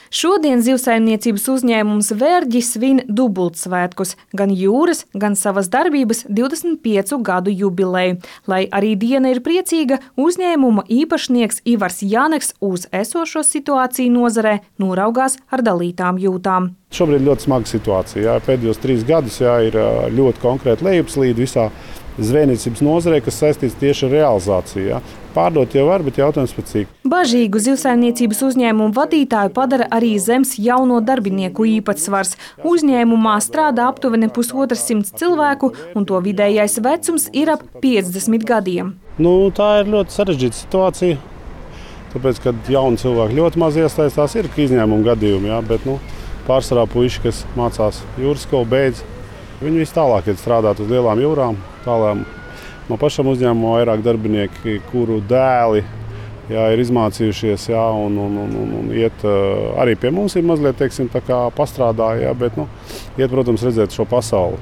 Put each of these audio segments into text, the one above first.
Šodien zivsaimniecības uzņēmums Vērģis svin dubultsvētkus, gan jūras, gan savas darbības 25 gadu jubileju. Lai arī diena ir priecīga, uzņēmuma īpašnieks Ivars Janeks uz esošo situāciju nozarē noraugās ar dalītām jūtām. Šobrīd ļoti smaga situācija. Jā. Pēdējos 3 gadus ir ļoti konkrēti lejupslīde visā zvejniecības nozarē, kas saistīts tieši ar realizāciju. Jā. Pārdot jau var, bet jautājums pēc cik. Bažīgu zivsaimniecības uzņēmumu vadītāju padara arī zems jauno darbinieku īpatsvars. Uzņēmumā strādā aptuveni 150 cilvēku, un to vidējais vecums ir ap 50 gadiem. Tā ir ļoti sarežģīta situācija, tāpēc, kad jauni cilvēki ļoti maz iesaistās, ir izņēmuma gadījumi, jā, bet pārsvarā puiši, kas mācās jūras skolu, beidz. Viņi visi tālāk iet strādāt uz lielām jūrām. Man pašam uzņēmumā vairāk darbinieki, kuru dēli ir izmācījušies un iet arī pie mums ir mazliet, pastrādā, bet iet, protams, redzēt šo pasauli.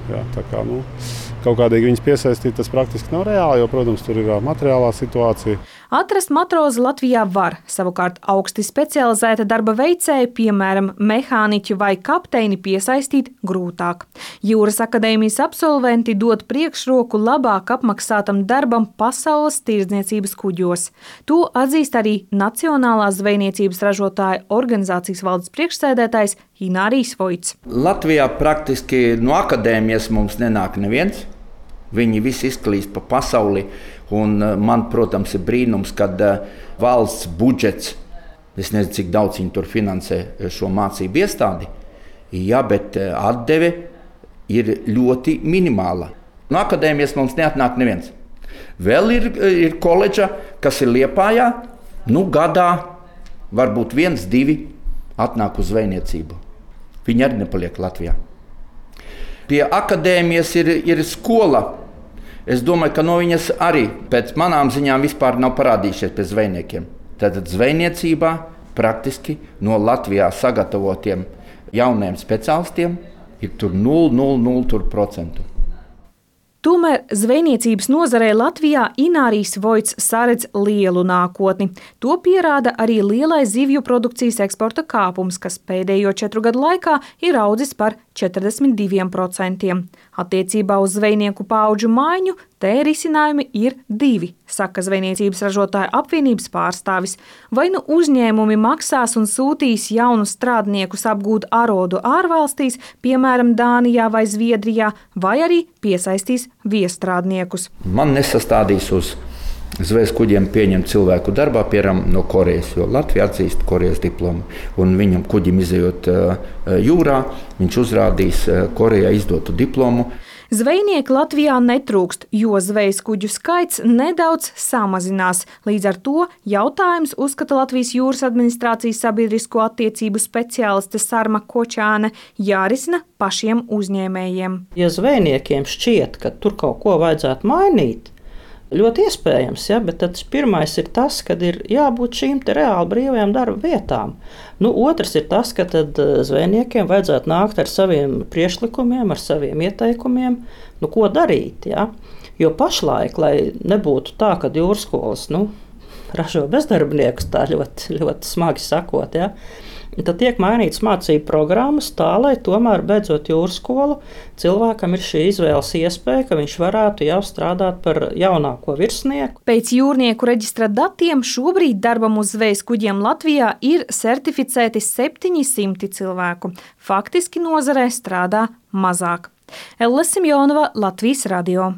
Kaut kādīgi viņus piesaistīt, tas praktiski nav reāli, jo, protams, tur ir materiālā situācija. Atrast matrozi Latvijā var, savukārt augsti specializēta darba veicēja, piemēram, mehāniķu vai kapteini piesaistīt grūtāk. Jūras akadēmijas absolventi dod priekšroku labāk apmaksātam darbam pasaules tirdzniecības kuģos. To atzīst arī Nacionālās zvejniecības ražotāju organizācijas valdes priekšsēdētājs Inārijs Vojts. Latvijā praktiski no akadēmijas mums nenāk neviens. Viņi visi izklīst pa pasauli. Un man, protams, ir brīnums, kad valsts budžets, es nezinu, cik daudz viņi tur finansē šo mācību iestādi, bet atdeve ir ļoti minimāla. No akadēmijas mums neatnāk neviens. Vēl ir koledža, kas ir Liepājā, gadā varbūt 1, 2 atnāk uz zvejniecību. Viņi arī nepaliek Latvijā. Pie akadēmijas ir skola. Es domāju, ka no viņas arī pēc manām ziņām vispār nav parādījušies pie zvejniekiem. Tātad zvejniecībā praktiski no Latvijā sagatavotiem jauniem speciālistiem ir tur 0,00%. Tomēr zvejniecības nozarē Latvijā Inārijs Vojts saredz lielu nākotni. To pierāda arī lielais zivju produkcijas eksporta kāpums, kas pēdējo 4 gadu laikā ir audzis par 42%. Attiecībā uz zvejnieku paudžu maiņu te risinājumi ir 2, saka Zvejniecības ražotāju apvienības pārstāvis. Vai uzņēmumi maksās un sūtīs jaunus strādniekus apgūt arodu ārvalstīs, piemēram, Dānijā vai Zviedrijā, vai arī piesaistīs viestrādniekus. Man nesastādīs uz zvejas kuģiem pieņemt cilvēku darbā, piemēram, no Korejas, jo Latvija atzīst Korejas diplomu. Un viņam kuģim izejot jūrā, viņš uzrādīs Korejā izdotu diplomu. Zvejnieki Latvijā netrūkst, jo zvejas kuģu skaits nedaudz samazinās. Līdz ar to jautājums, uzskata Latvijas jūras administrācijas sabiedrisko attiecību speciāliste Sarma Kočāne, jārisina pašiem uzņēmējiem. Ja zvejniekiem šķiet, ka tur kaut ko vajadzētu mainīt, ļoti iespējams, bet tad pirmais ir tas, ka ir jābūt šīm reāli brīvajām darba vietām. Otrs ir tas, ka zvejniekiem vajadzētu nākt ar saviem priekšlikumiem, ar saviem ieteikumiem, ko darīt. Jo pašlaik, lai nebūtu tā, ka jūras skolas ražo bezdarbniekus, tā ļoti, ļoti smagi sakot, tad tiek mainītas mācību programmas tā, lai tomēr beidzot jūras skolu cilvēkam ir šī izvēles iespēja, ka viņš varētu jau strādāt par jaunāko virsnieku. Pēc jūrnieku reģistra datiem šobrīd darbam uz zvejas kuģiem Latvijā ir certificēti 700 cilvēku. Faktiski nozarē strādā mazāk. Elle Simjonova, Latvijas radio.